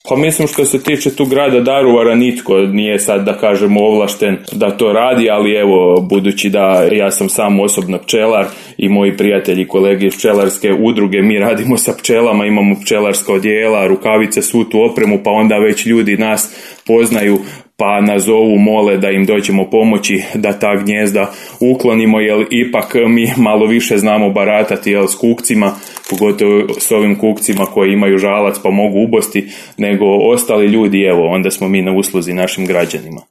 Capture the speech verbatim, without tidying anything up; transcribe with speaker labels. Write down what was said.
Speaker 1: Pa mislim što se tiče tu grada Daruvara nitko nije sad da kažemo ovlašten da to radi, ali evo budući da ja sam sam osobno pčelar i moji prijatelji kolege iz pčelarske udruge, mi radimo sa pčelama, imamo pčelarska odjela, rukavice, svu tu opremu, pa onda već ljudi nas poznaju pa nas zovu, mole da im dođemo pomoći da ta gnjezda uklonimo, jer ipak mi malo više znamo baratati jel, s kukcima, pogotovo s ovim kukcima koji imaju žalac pa mogu ubosti, nego ostali ljudi, evo, onda smo mi na usluzi našim građanima.